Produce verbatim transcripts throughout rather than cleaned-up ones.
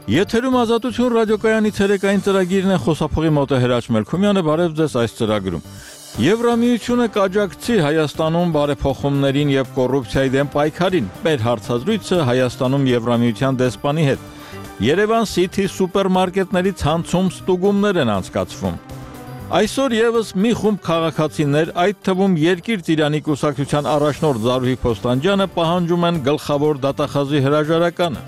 Եթերում Ազատություն ռադիոկայանի ցերեկային ծրագիրն է, խոսափողի մոտ է Հրաչ Մելքումյանը, բարև ձեզ այս ծրագրում։ Եվրամիությունը կաջակցի Հայաստանում բարեփոխումներին եւ կոռուպցիայի դեմ պայքարին։ Մեր հարցազրույցը Հայաստանում Եվրամիության դեսպանի հետ։ Երևան City սուպերմարկետների ցանցում ստուգումներ են անցկացվում։ Այսօր եւս մի խումբ քաղաքացիներ, այդ թվում Երկիր Ծիրանի կուսակցության առաջնորդ Զարուհի Փոստանջյանը պահանջում են գլխավոր դատախազի հրաժարականը։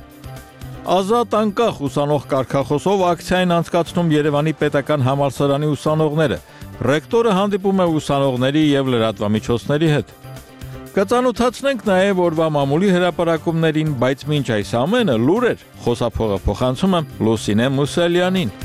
Ազատ անկախ ուսանող կարգախոսով ակցիային անցկացնում Երևանի պետական համալսարանի ուսանողները։ Ռեկտորը հանդիպում է ուսանողների եւ լրատվամիջոցների հետ։ Կծանոթացնենք նաեւ օրվա մամուլի հրապարակումներին, բայց մինչ այս ամենը լուրեր, խոսափողը փոխանցում է Լուսինե Մուսալյանին։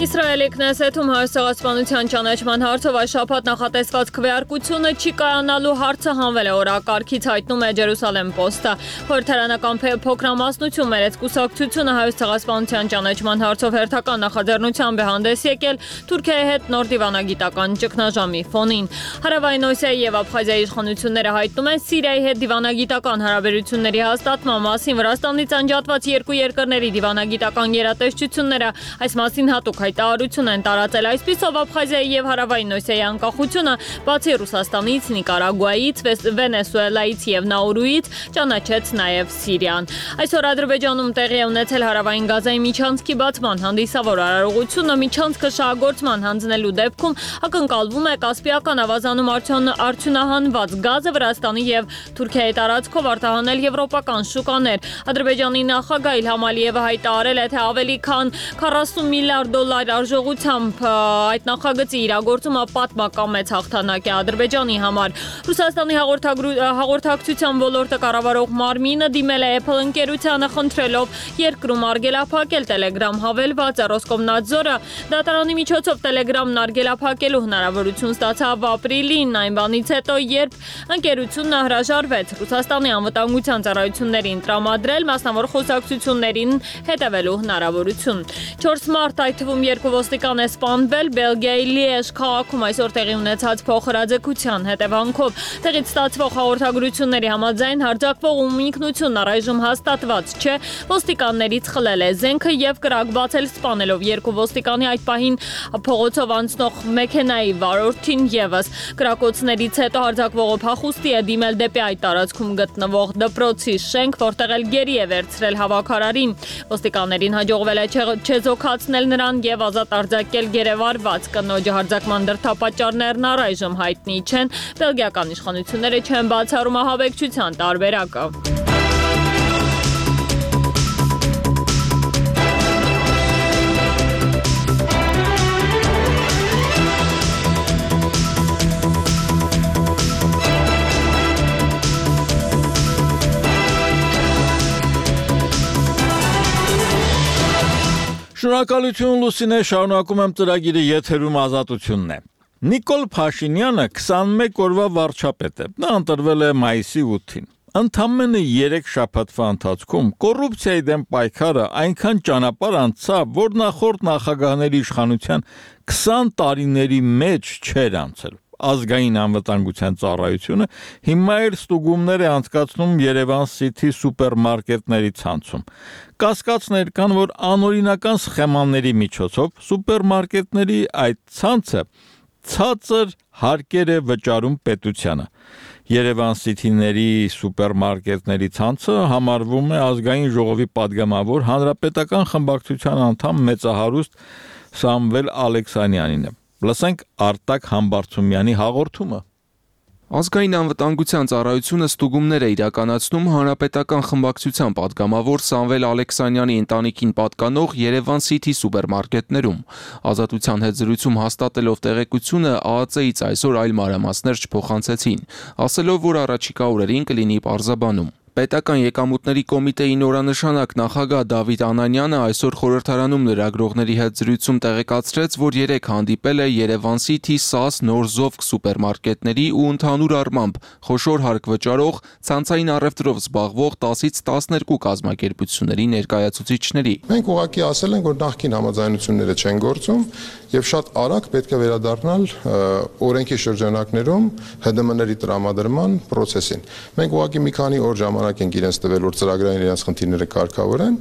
Իսրայելի Քնեսեթում հայաստանցիության ճանաչման հարցով այս շաբաթ նախատեսված քվեարկությունը չի կայանալու հարցը հանվել է օրակարգից, հայտնում է Ջերուսալեմ Պոստը։ Խորհրդարանական փոքրամասնություն մերեց կուսակցությունը հայաստանցիության ճանաչման հարցով հերթական նախաձեռնությամբ է հանդես եկել Թուրքիայի հետ նոր դիվանագիտական ճգնաժամի ֆոնին։ Հարավային Օսիայի եւ Աբխազիայի իշխանությունները հայտնում են Սիրիայի հետ դիվանագիտական հարաբերությունների հաստատման մասին։ Վրաստանից անջատված երկու երկրների դիվանագիտական գերատեսչությունները այս մասին հատուկ հայտարարություն են տարածել, այսպիսով Աբխազիայի եւ Հարավային Օսիայի անկախությունը բացի Ռուսաստանից, Նիկարագուայից, Վենեսուելայից եւ Նաուրուից ճանաչեց նաեւ Սիրիան։ Այսօր Ադրբեջանում տեղի է ունեցել Հարավային Գազայի միջանցքի բացման հանդիսավոր արարողությունը, միջանցքը շահագործման հանձնելու դեպքում ակնկալվում է Կասպիական ավազանում արդյունահանված գազը Վրաստանի եւ Թուրքիայի տարածքով արտահանել եվրոպական շուկաներ։ Ադրբեջանի նախագահ Իլհամ Ալիևը հայտարարել է, թե ավելի քան քառասուն միլիարդ դոլար արժողությամբ այդ նախագծի իրագործումը պատմական մեծ հաղթանակ է Ադրբեջանի համար։ Ռուսաստանի հաղորդակցության ոլորտը կառավարող մարմինը դիմել է Apple ընկերությանը խնդրելով երկրում արգելափակել Telegram հավելվածը։ Ռոսկոմնadzor-ը դատարանի միջոցով Telegram-ն արգելափակելու հնարավորություն ստացավ ապրիլին, այն բանից հետո, երբ ընկերությունը հրաժարվեց Ռուսաստանի անվտանգության ծառայություններին տրամադրել մասնավոր խոսակցություններին հետևելու հնարավորություն։ չորս մարտ այդ թվում երկու ոստիկան է սպանվել Բելգիայի Լիեժ քաղաքում այսօր տեղի ունեցած փոխհրաձգության հետևանքով։ Տեղից ստացվող հաղորդագրությունների համաձայն հարձակվող ում ինքնությունն առայժմ հաստատված չէ, ոստիկաններից խլել է զենքը եւ կրակ բացել սպանելով երկու ոստիկանի այդ պահին փողոցով անցնող մեքենայի վարորդին եւս։ Կրակոցներից հետո հարձակվողը փախուստի է դիմել դեպի այդ տարածքում գտնվող դպրոցի շենք, որտեղ էլ գերի է վերցրել հավաքարարին։ Ոստիկաններին հաջողվել է չեզոքացնել նրան եւ ազատ արձակել գերեվարված կնոջը։ Հարձակման դրդապատճառներն առայժմ հայտնի չեն։ Բելգիական իշխանությունները չեն բացառում ահաբեկչության տարբերակը։ Շնորհակալություն Լուսինե, շարունակում եմ ծրագիրը, եթերում Ազատությունն է։ Նիկոլ Փաշինյանը քսանմեկ օրվա վարչապետ է։ Նա ընտրվել է մայիսի ութին։ Ընդամենը երեք շաբաթվա ընթացքում կոռուպցիայի դեմ պայքարը այնքան ճանապարհ անցավ, որ նախորդ նախագահների իշխանության քսան տարիների մեջ չէր անցել։ Ազգային անվտանգության ծառայությունը հիմա էլ ստուգումներ է անցկացնում Երևան City սուպերմարկետների ցանցում։ Կասկածներ կան, որ անօրինական սխեմաների միջոցով սուպերմարկետների այդ ցանցը ցածր հարկեր է վճարում պետությանը։ Երևան City-ների սուպերմարկետների ցանցը համարվում է ազգային ժողովի падգամավոր հանրապետական խմբակցության անդամ մեծահարուստ Սամվել Ալեքսանյանինը։ Լսենք Արտակ Համբարձումյանի հաղորդումը։ Ազգային անվտանգության ծառայությունը ստուգումներ է իրականացնում հանրապետական խմբակցության падգամավոր Սամվել Ալեքսանյանի ընտանիքին պատկանող Երևան City սուպերմարկետներում։ Ազատության հետ զրույցում հաստատելով տեղեկությունը ԱԱԾ-ից այսօր այլ մանրամասներ չփոխանցեցին, ասելով, որ առաջիկա օրերին կլինի պարզաբանում։ Պետական եկամուտների կոմիտեի նորանշանակ նախագահ Դավիթ Անանյանը այսօր խորհրդարանում լրագրողների հետ զրույցում տեղեկացրեց, որ երեկ հանդիպել է Երևան City ՍԱՍ նոր Զովք սուպերմարկետների ու ընդհանուր առմամբ խոշոր հարկ վճարող ցանցային առևտրով զբաղվող տասից տասներկու կազմակերպությունների ներկայացուցիչների։ Մենք ուղղակի ասել ենք, որ նախկին համաձայնությունները չեն գործում եւ շատ արագ պետք է վերադառնալ օրենքի շրջանակներում Հ D M-ների տրամադրման process-ին։ Մենք ուղղակի մի քանի օր ժամանակ ենք իրենց տվել, որ ծրագրային իրենց խնդիրները կարգավորեն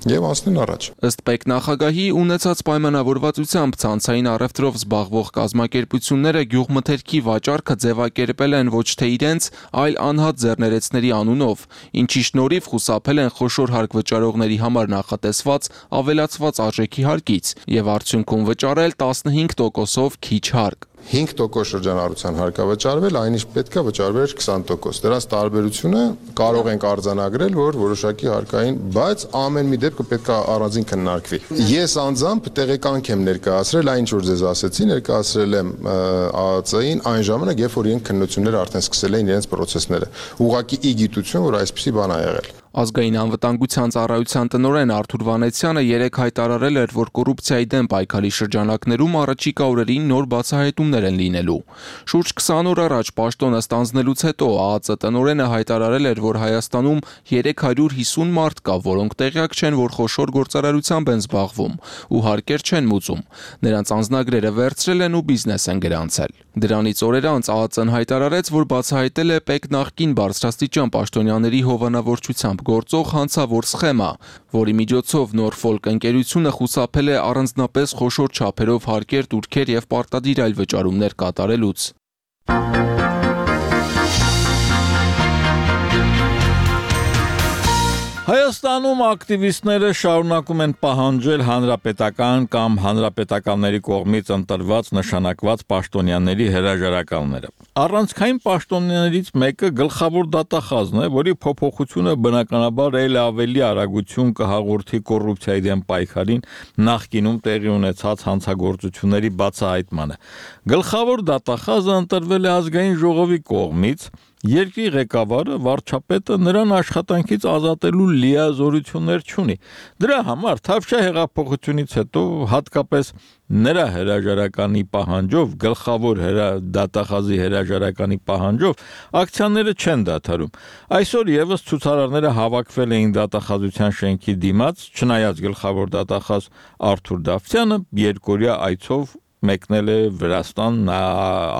եւ անցնեն առաջ։ Ըստ պետնախագահի ունեցած պայմանավորվածությամբ ցանցային առևտրով զբաղվող կազմակերպությունները գյուղմթերքի վաճառքը ձևակերպել են ոչ թե իրենց, այլ անհատ ձեռներեցների անունով, ինչի շնորհիվ խուսափել են խոշոր հարկ վճարողների համար նախատեսված ավելացված արժեքի հարկից եւ արդյունքում վճարել տասնհինգ տոկոսով քիչ հարկ։ հինգ տոկոս շրջանառության հարկա վճարվել, այն ինչ պետք է վճարվեր քսան տոկոս։ Դրանց տարբերությունը կարող ենք արձանագրել, որ որոշակի հարկային, բայց ամեն մի դեպքը պետք է առանձին քննարկվի։ Ես անձամբ տեղեկանք եմ ներկայացրել, այն ինչ որ ձեզ ասեցի, ներկայացրել եմ Ա Ծ Ծ-ին այն ժամանակ, երբ որ իրենք քննությունները արդեն սկսել էին իրենց process-ները։ Ուղղակի ի գիտություն, որ այսպիսի բան ա եղել։ Ազգային անվտանգության ծառայության տնօրեն Արթուր Վանեցյանը երեկ հայտարարել էր, որ կոռուպցիայի դեմ պայքարի շրջանակներում առաջիկա օրերին նոր բացահայտումներ են լինելու։ Շուրջ քսան օր առաջ պաշտոնը ստանձնելուց հետո Ա Ծ Ծ տնօրենը հայտարարել էր, որ Հայաստանում երեք հարյուր հիսուն մարդ կա, որոնք տեղյակ չեն, որ խոշոր գործարարությամբ են զբաղվում ու հարկեր չեն մուծում։ Նրանց անձնագրերը վերցրել են ու բիզնես են գրանցել։ Դրանից օրեր անց Ա Ծ Ծ-ն հայտարարեց, որ բացահայտել է ՊԵԿ նախկին բարձրաստիճան պաշտոնյաների հովանավորչությամբ գործող հանցավոր սխեմա, որի միջոցով Norfolk ընկերությունը խուսափել է առանձնապես խոշոր չափերով հարկեր, տուրքեր եւ պարտադիր այլ վճարումներ կատարելուց։ Հայաստանում ակտիվիստները շարունակում են պահանջել հանրապետական կամ հանրապետականների կողմից ընտրված նշանակված պաշտոնյաների հրաժարականները։ Առանցքային պաշտոնյաներից մեկը գլխավոր դատախազն է, որի փոփոխությունը բնականաբար էլ ավելի արագություն կհաղորդի կոռուպցիայի դեմ պայքարին նախկինում տեղի ունեցած հանցագործությունների բացահայտմանը։ Գլխավոր դատախազը ընտրվել է ազգային ժողովի կողմից, երկրի ղեկավարը վարչապետը նրան աշխատանքից ազատելու լիազորություններ չունի։ Դրա համար Թավշյա հեղափոխությունից հետո հատկապես նրա հրաժարականի պահանջով, գլխավոր դատախազի հրաժարականի պահանջով ակցիաները չեն դադարում։ Այսօր եւս ցուցարարները հավաքվել էին դատախազության շենքի դիմաց, չնայած գլխավոր դատախազ Արթուր Դավթյանը երկօրյա այցով մեկնել է Վրաստան, նա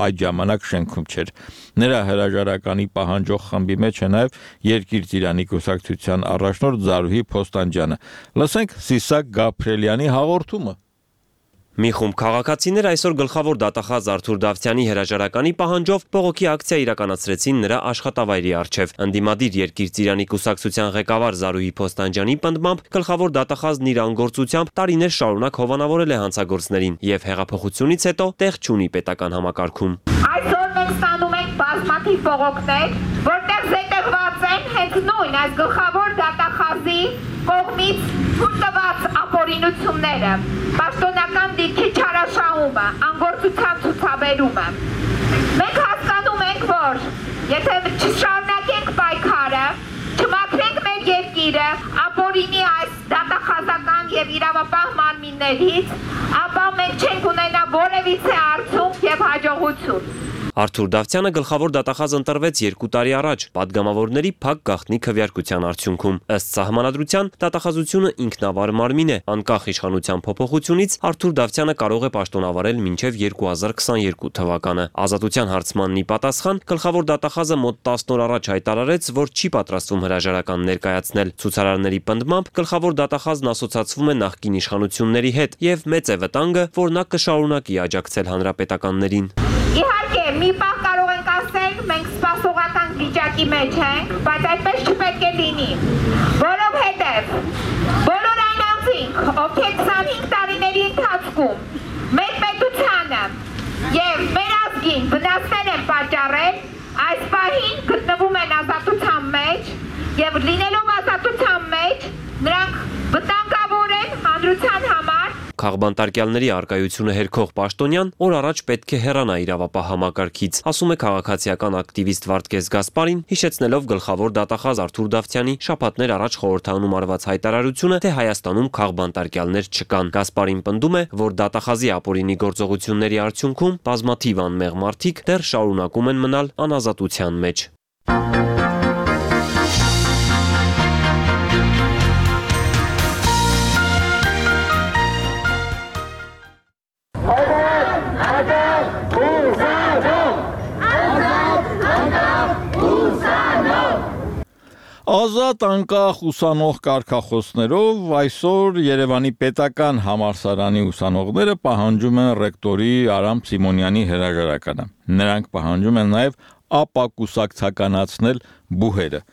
այդ ժամանակ շենքում չէր։ Նրա հրաժարականի պահանջող խմբի մեջ է նաև Երկիր Ծիրանի կուսակցության առաջնորդ Զարուհի Փոստանջյանը։ Լսենք Սիսակ Գաբրելյանի հաղորդումը։ Մի խումբ քաղաքացիներ այսօր գլխավոր դատախազ Արթուր Դավթյանի հրաժարականի պահանջով բողոքի ակցիա իրականացրեցին նրա աշխատավայրի առջև։ Ընդդիմադիր Երկիր Ծիրանի կուսակցության ղեկավար Զարուհի Փոստանջյանի պնդմամբ գլխավոր դատախազն իր անգործությամբ տարիներ շարունակ հովանավորել է հանցագործներին եւ հեղափոխությունից հետո տեղ չունի պետական համակարգում։ Այսօր մենք ստանում ենք բազմաթիվ բողոքներ, որտեղ զետեղված են հենց նույն այս գլխավոր դատախազի կողմից թույլտված ապօրինությունները, պաշտոնական դիրքի չարաշահումը, անգործության ցուցաբերումը։ Մենք հասկանում ենք, որ եթե չշարունակենք պայքարը, չմաքրենք մեր երկիրը ապօրինի այս դատախազական եւ իրավապահ մարմիններից, ապա մենք չենք ունենա որևիցե արդյունք եւ հաջողություն։ Արթուր Դավթյանը գլխավոր դատախազ ընտրվեց երկու տարի առաջ պատգամավորների փակ գաղտնի քվեարկության արդյունքում։ Ըստ սահմանադրության դատախազությունը ինքնավար մարմին է, անկախ իշխանության փոփոխությունից Արթուր Դավթյանը կարող է պաշտոնավարել մինչև երկու հազար քսաներկու թվականը։ Ազատության հարցմանն ի պատասխան գլխավոր դատախազը մոտ տասն օր առաջ հայտարարեց, որ չի պատրաստվում հրաժարական ներկայացնել։ Ցուցարարների պնդմամբ գլխավոր դատախազն ասոցացվում է նախկին իշխանությունների հետ եւ մեծ է վտանգը, որ նա կշարունակի աջակցել հանրապետականներին։ Իհարկե, մի պահ կարող ենք ասել, մենք սպասողական վիճակի մեջ ենք, բայց այդպես չպետք է լինի, որովհետև բոլոր այն անձինք, ովքեր քսանհինգ տարիների ընթացքում մեր պետությանը եւ մեր ազգին վնասներ են պատճառել, այս պահին գտնվում են ազատության մեջ եւ լինելով ազատության մեջ նրանք վտանգավոր են հանրության համար։ Քաղբանտարկյալների արկայությունը հերքող պաշտոնյան օր առաջ պետք է հեռանա իրավապահ համակարգից, ասում է քաղաքացիական ակտիվիստ Վարդգես Գասպարին, հիշեցնելով գլխավոր դատախազ Արթուր Դավթյանի շաբաթներ առաջ խորհրդանում արված հայտարարությունը, թե Հայաստանում քաղբանտարկյալներ չկան։ Գասպարին պնդում է, որ դատախազի ապօրինի գործողությունների արդյունքում բազմաթիվ անմեղ մարդիկ դեռ շարունակում են մնալ անազատության մեջ։ Ազատ անկախ ուսանող կարգախոսներով այսօր Երևանի պետական համալսարանի ուսանողները պահանջում են ռեկտորի Արամ Սիմոնյանի հրաժարականը։ Նրանք պահանջում են նաև ապակուսակցականացնել բուհերը։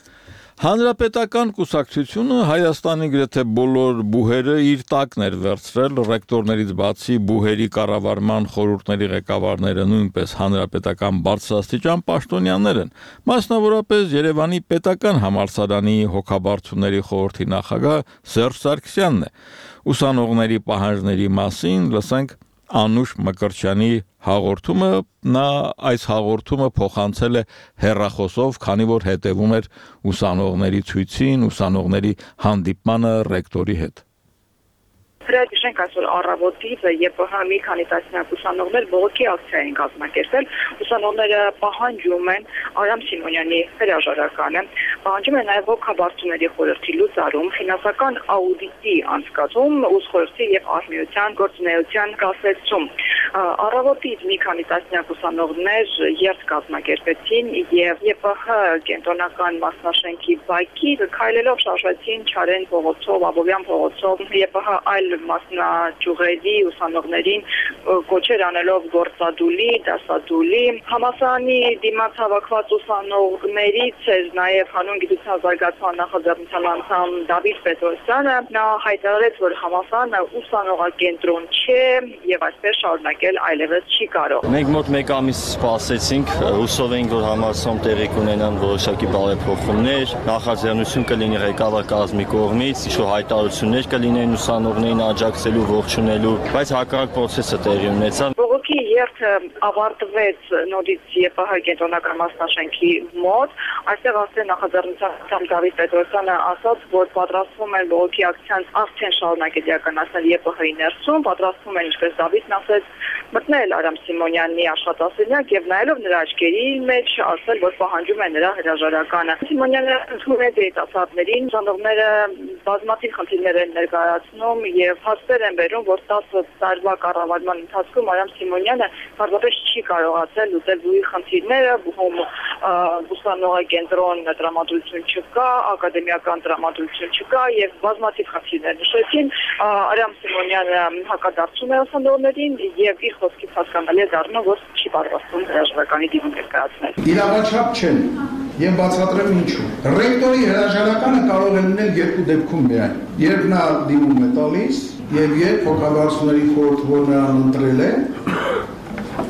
Հանրապետական կուսակցությունը Հայաստանի գրեթե բոլոր բուհերը իր տակն էր վերցրել, ռեկտորներից բացի բուհերի կառավարման խորհուրդների ղեկավարները նույնպես հանրապետական բարձրաստիճան պաշտոնյաներ են, մասնավորապես Երևանի պետական համալսարանի հոգաբարձուների խորհրդի նախագահ Սերժ Սարգսյանն է։ Ուսանողների պահանջների մասին լսենք Անուշ Մկրտչյանի հաղորդումը, նա այս հաղորդումը փոխանցել է հեռախոսով, քանի որ հետևում էր ուսանողների ցույցին, ուսանողների հանդիպմանը ռեկտորի հետ։ Հրաժարենք այսօր առավոտից ԵՊՀ մի քանի տասնյակ ուսանողներ բողոքի ակցիա են կազմակերպել։ Ուսանողները պահանջում են Արամ Սիմոնյանի հրաժարականը, պահանջում են նաև հոգաբարձուների խորհրդի լուծարում, ֆինանսական աուդիտի անցկացում, ուսխորհրդի եւ արհմիության գործունեության կասեցում։ Առավոտից մի քանի տասնյակ ուսանողներ երթ կազմակերպեցին եւ ԵՊՀ կենտրոնական մասնաշենքի բակից քայլելով շարժվեցին Չարեն փողոցով, Աբովյան փողոցով, ԵՊՀ այլ մասնաճյուղերի ուսանողներին կոչեր անելով գործադուլի, դասադուլի։ Համալսարանի դիմաց հավաքված ուսանողներից էր նաև հանուն գիտության զարգացման նախաձեռնության անդամ Դավիթ Պետրոսյանը։ Նա հայտարարեց, որ համալսարանը ուսանողակենտրոն չէ եւ այսպես շարունակել այլևս չի կարող։ Մենք մոտ մեկ ամիս սպասեցինք, հուսով ենք, որ համալսարանում տեղի կունենան որոշակի բարեփոխումներ, նախաձեռնություն կլինի ղեկավար կազմի կողմից, ինչ-որ հայտարարություններ կլինեն ուսանողներին աջակցելու, ողջունելու, բայց հակառակ process-ը տեղի ունեցավ։ Բողոքի երթը ավարտվեց նորից ԵՊՀ կենտրոնական մասնաշենքի մոտ։ Այստեղ ասել նախաձեռնության Դավիթ Պետրոսյանը ասաց, որ պատրաստվում են բողոքի ակցիան արդեն շարունակել իրականացնել ԵՊՀ-ի ներսում, պատրաստվում են, ինչպես Դավիթն ասեց, մտնել Արամ Սիմոնյանի աշխատասենյակ եւ նայելով նրա աչքերի մեջ ասել, որ պահանջում են նրա հրաժարականը։ Սիմոնյանը ընդունել է դասադներին, ուսանողները բազմաթիվ խնդիրներ են ներկայացնում եւ հաստեր են բերում, որ տասը տարվա կառավարման ընթացքում Արամ Սիմոնյանը բարձրապես չի կարողացել լուծել բուհի խնդիրները, բուհում ուսանողակենտրոն տրամադրություն չկա, ակադեմիական տրամադրություն չկա եւ բազմաթիվ խնդիրներ նշեցին։ Արամ Սիմոնյանը հակադարձում է ուսանողներին եւ իր խոսքից հասկանալի է դառնում, որ չի պատրաստվում հրաժարականի դիմում ներկայացնել։ Իրավաչափ չեն եւ բացատրեմ ինչու։ Ռեկտորի հրաժարականը կարող է լինել երկու դեպքում միայն։ Երբ նա դիմում է տալիս եւ երբ հոգաբարձուների խորհուրդը որ նրան ընտրել է,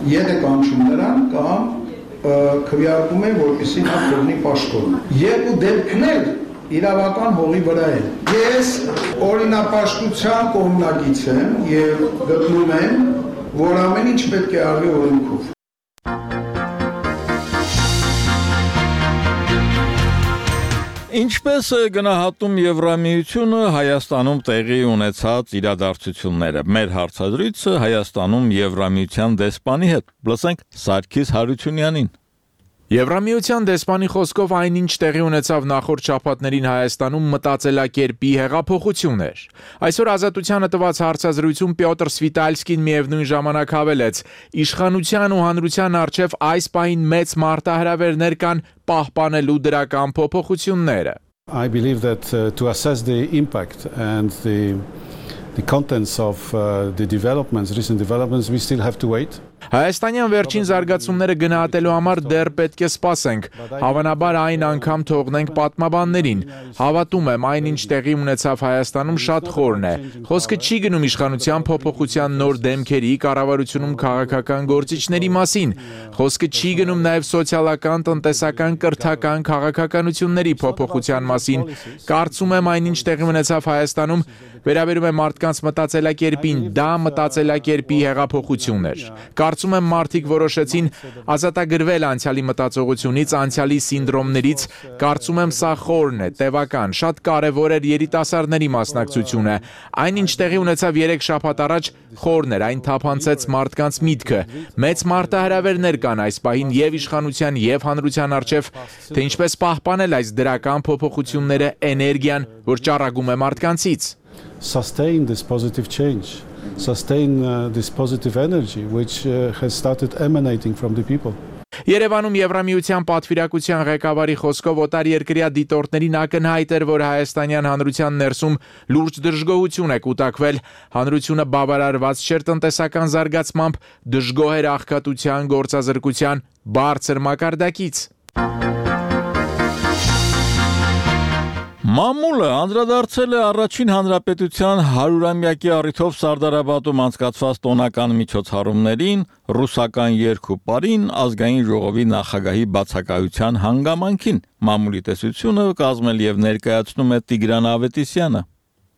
ետ է կանչում նրան կամ քվեարկում է, որպեսզի նա կողմի պաշտոն։ Երկու դեպքներ իրավական հողի վրա են։ Ես օրինապաշտության կողմնակից եմ եւ գտնում եմ, որ ամեն ինչ պետք է արվի օրենքով։ Ինչպես է գնահատում Եվրամիությունը Հայաստանում տեղի ունեցած իրադարձությունները։ Մեր հարցազրույցը Հայաստանում Եվրամիության դեսպանի հետ։ Լսենք Սարգիս Հարությունյանին։ Եվրամիության դեսպանի խոսքով այնինչ տեղի ունեցավ նախորդ շաբաթներին Հայաստանում մտածելակերպի հեղափոխություն էր։ Այսօր Ազատությանը տված հարցազրույցում Պյոտր Սվիտալսկին միևնույն ժամանակ հավելեց. իշխանության ու հանրության առջև այս պահին մեծ մարտահրավերներ կան պահպանելու դրական փոփոխությունները։ I believe that uh, to assess the impact and the the contents of uh, the developments, recent developments, we still have to wait. Հայաստանյան վերջին զարգացումները գնահատելու համար դեռ պետք է սպասենք, հավանաբար այն անգամ թողնենք պատմաբաններին։ Հավատում եմ, այնինչ տեղի ունեցավ Հայաստանում շատ խորն է։ Խոսքը չի գնում իշխանության փոփոխության նոր դեմքերի, կառավարությունում քաղաքական գործիչների մասին։ Խոսքը չի գնում նաև սոցիալական, տնտեսական, կրթական, քաղաքականությունների փոփոխության մասին։ Կարծում եմ, այնինչ տեղի ունեցավ Հայաստանում վերաբերում է մարդկանց մտածելակերպին, դա մտածելակերպի հեղափոխություն էր։ Կարծում եմ մարդիկ որոշեցին ազատագրվել անցյալի մտածողությունից, անցյալի սինդրոմներից, կարծում եմ սա խորն է, տևական, շատ կարևոր էր երիտասարդների մասնակցությունը։ Այնինչ տեղի ունեցավ երեք շաբաթ առաջ խորն էր, այն թափանցեց մարդկանց միտքը։ Մեծ մարտահրավերներ կան այս պահին եւ իշխանության եւ հանրության առջև, թե ինչպես պահպանել այս դրական փոփոխությունները, էներգիան, որ ճառագում է մարդկանցից։ Sustain this positive change, sustain uh, this positive energy which uh, has started emanating from the people. Երևանում Եվրամիության պատվիրակության ղեկավարի խոսքով օտարերկրյա դիտորդներին ակնհայտ էր, որ հայաստանյան հանրության ներսում լուրջ դժգոհություն է կուտակվել։ Հանրությունը բավարարված չէր տնտեսական զարգացմամբ, դժգոհ էր աղքատության, գործազրկության բարձր մակարդակից։ Մամուլը անդրադարձել է առաջին հանրապետության հարյուրամյակի առիթով Սարդարապատում անցկացված տոնական միջոցառումներին, ռուսական երկու-պարին, ազգային ժողովի նախագահի բացակայության հանգամանքին։ Մամուլի տեսությունը կազմել եւ ներկայացնում է Տիգրան Ավետիսյանը։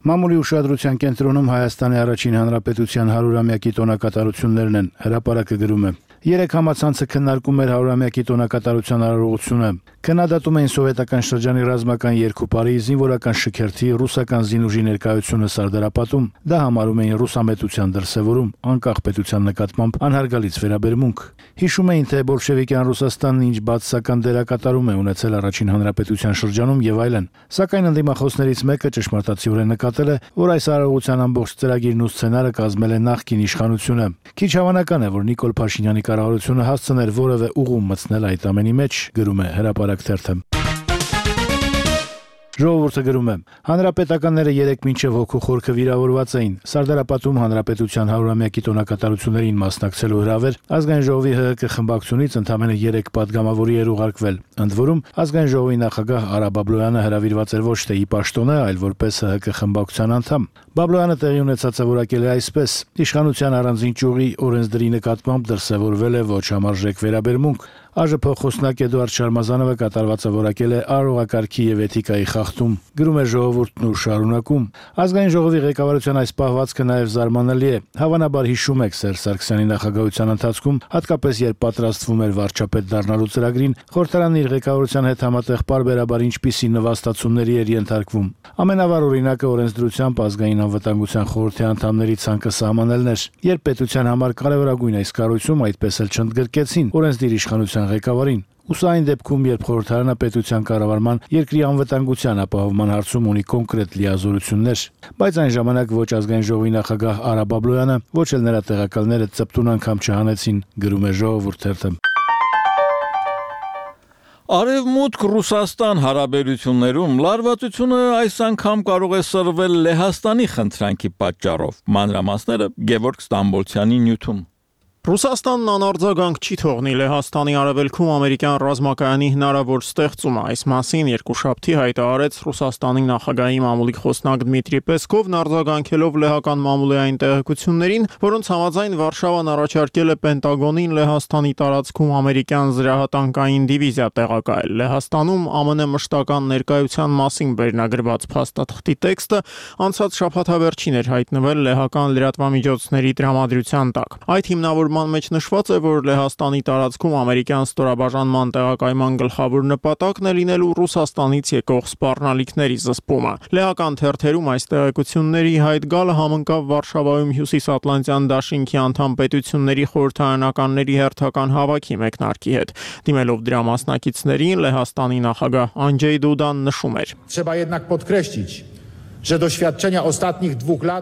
Մամուլի ուշադրության կենտրոնում Հայաստանի առաջին հանրապետության հարյուրամյակի տոնակատարություններն են, հրապարակը գրում է. Երեք համացանցը քննարկում էր հարյուրամյակի տոնակատարության արարողությունը։ Քննադատում էին սովետական շրջանի ռազմական երկու-պարի, զինվորական շքերթի, ռուսական զինուժի ներկայությունը Սարդարապատում։ Դա համարում էին ռուսամետության դրսևորում, անկախ պետության նկատմամբ անհարգալից վերաբերմունք։ Հիշում էին, թե բոլշևիկյան Ռուսաստանն ինչ բացասական դերակատարում է ունեցել առաջին հանրապետության շրջանում եւ այլն։ Սակայն ընդդիմախոսներից մեկը ճշմարտացիորեն նկատել է, որ այս արարողության ամբողջ ծրագիրն ու սցենարը կազմել է նախկին իշխանությունը։ Քիչ հավանական է, որ Նիկոլ Փաշինյանի կառավարությունը հասցներ որևէ ուղում մտցնել այդ ամենի մեջ, գրում է Հրապարակ թերթը։ Ժողովուրդը գրում է. Հանրապետականները երեք մինչև հոգու խորքը վիրավորված էին։ Սարդարապատում հանրապետության հարյուրամյակի տոնակատարություններին մասնակցելու հրավեր ազգային ժողովի ՀՀԿ խմբակցությունից ընդամենը երեք падգամավորի էր ուղարկվել։ Ընդ որում ազգային ժողովի նախագահ Արա Բաբլոյանը հրավիրված էր ոչ թե ի պաշտոնը, այլ որպես ՀՀԿ խմբակցության անդամ։ Բաբլոյանը տեղի ունեցածը որակել է այսպես. Իշխանության առանձին ճյուղի օրենսդրի նկատմամբ դրսևորվել է ոչ համարժեք վերաբերմունք։ ԱԺՊ խոսնակ Էդուարդ Շարմազանովը կատարվածը որակել է արարողակարգի եւ էթիկայի խախտում։ Գրում է Ժողովուրդն ու շարունակում. Ազգային ժողովի ղեկավարության այս պահվածքը նաեւ զարմանալի է։ Հավանաբար հիշում եք Սերժ Սարգսյանի նախագահության ընթացքում, հատկապես երբ պատրաստվում էր վարչապետ դառնալու ծրագրին, խորհրդարանն իր ղեկավարության հետ համատեղ պարբերաբար ինչպիսի նվաստացումների էր ենթարկվում։ Ամենավառ օրինակը օրենսդրությամբ ազգային անվտանգության խորհրդի անդամների ցանկը սահմանելն էր։ Երբ պետության համար կարևորագույն այս կառույցում այդպես էլ չընդգրկեցին օրենսդիր իշխանության ղեկավարին։ Ուսա այն դեպքում, երբ խորհրդարանը պետության կառավարման երկրի անվտանգության ապահովման հարցում ունի կոնկրետ լիազորություններ, բայց այն ժամանակ ոչ ազգային ժողովի նախագահ Արա Բաբլոյանը, ոչ էլ նրա տեղակալները ծպտուն անգամ չհանեցին, գրում է Ժողովուրդ թերթը։ Արևմուտք Ռուսաստան հարաբերություններում լարվածությունը այս անգամ կարող է սրվել Լեհաստանի խնդրանքի պատճառով։ Մանրամասները Գևորգ Ստամբոլցյանի նյութում։ Ռուսաստանն անարձագանք չի թողնի Լեհաստանի արևելքում ամերիկյան ռազմակայանի հնարավոր ստեղծումը։ Այս մասին երկուշաբթի հայտարարեց Ռուսաստանի նախագահի մամուլի խոսնակ Դմիտրի Պեսկովն, արձագանքելով լեհական մամուլի այն տեղեկություններին, որոնց համաձայն Վարշավան առաջարկել է Պենտագոնին Լեհաստանի տարածքում ամերիկյան զրահատանկային դիվիզիա տեղակայել։ Լեհաստանում ԱՄՆ մշտական ներկայության մասին վերնագրված փաստաթղթի տեքստը անցած շաբաթավերջին էր հայտնվել լեհական լրատվամիջոցների տրամադրության տակ։ Այդ հիմնավոր մեջ նշված է, որ Լեհաստանի տարածքում ամերիկյան ստորաբաժանման տեղակայման գլխավոր նպատակն է լինելու Ռուսաստանից եկող սպառնալիքների զսպումը։ Լեհական թերթերում այս տեղեկությունների հայտ գալը համընկավ Վարշավայում Հյուսիսատլանտյան դաշինքի անդամ պետությունների խորհրդարանականների հերթական հավաքի մեկնարկի հետ։ Դիմելով դրա մասնակիցներին, Լեհաստանի նախագահ Անդժեյ Դուդան նշում էր.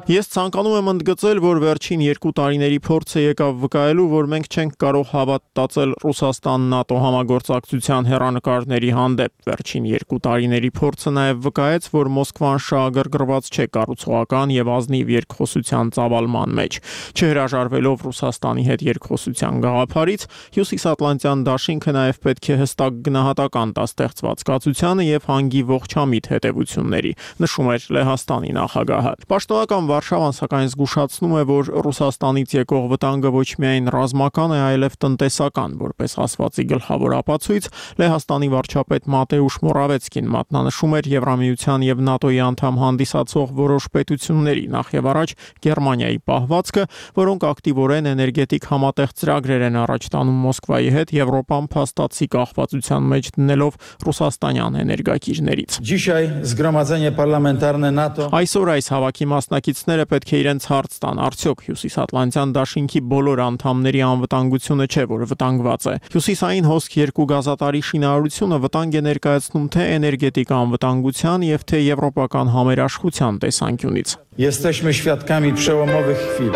Ես ցանկանում եմ ընդգծել, որ վերջին երկու տարիների փորձը եկավ վկայելու, որ մենք չենք կարող հավատացել Ռուսաստան-ՆԱՏՕ համագործակցության հեռանկարների հանդեպ։ Վերջին երկու տարիների փորձը նաև վկայեց, որ Մոսկվան շահագրգռված չէ կառուցողական եւ ազնիվ երկխոսության ծավալման մեջ։ Չհրաժարվելով Ռուսաստանի հետ երկխոսության գաղափարից, Հյուսիսատլանտյան դաշինքը նաև պետք է հստակ գնահատական տա ստեղծված կացությանը եւ հանգի ողջամիտ հետեւությունների։ Նշում էր Լեհաստանի նախագահը։ Պաշտոնական Վարշավան սակայն զգուշացնում է, որ Ռուսաստանից եկող վտանգը ոչ միայն ռազմական է, այլև տնտեսական, որպես ասվածի գլխավոր ապացույց Լեհաստանի վարչապետ Մատեուշ Մորավեցկին մատնանշում էր Եվրամիության եւ ՆԱՏՕ-ի անդամ հանդիսացող որոշ պետությունների, նախ եւ առաջ Գերմանիայի պահվածքը, որոնք ակտիվորեն էներգետիկ համատեղ ծրագրեր են առաջ տանում Մոսկվայի հետ, Եվրոպան փաստացի կախվածության մեջ դնելով ռուսաստանյան էներգակիրներից։ Այսօր այս հավաքի մասնակիցները պետք է իրենց հարց տան, արդյոք Հյուսիսատլանտյան դաշինքի բոլոր անդամների անվտանգությունը չէ, որ վտանգված է։ Հյուսիսային հոսք երկու գազատարի շինարարությունը վտանգ է ներկայացնում թե էներգետիկ անվտանգության եւ թե եվրոպական համերաշխության տեսանկյունից։ Jesteśmy świadkami przełomowych chwil.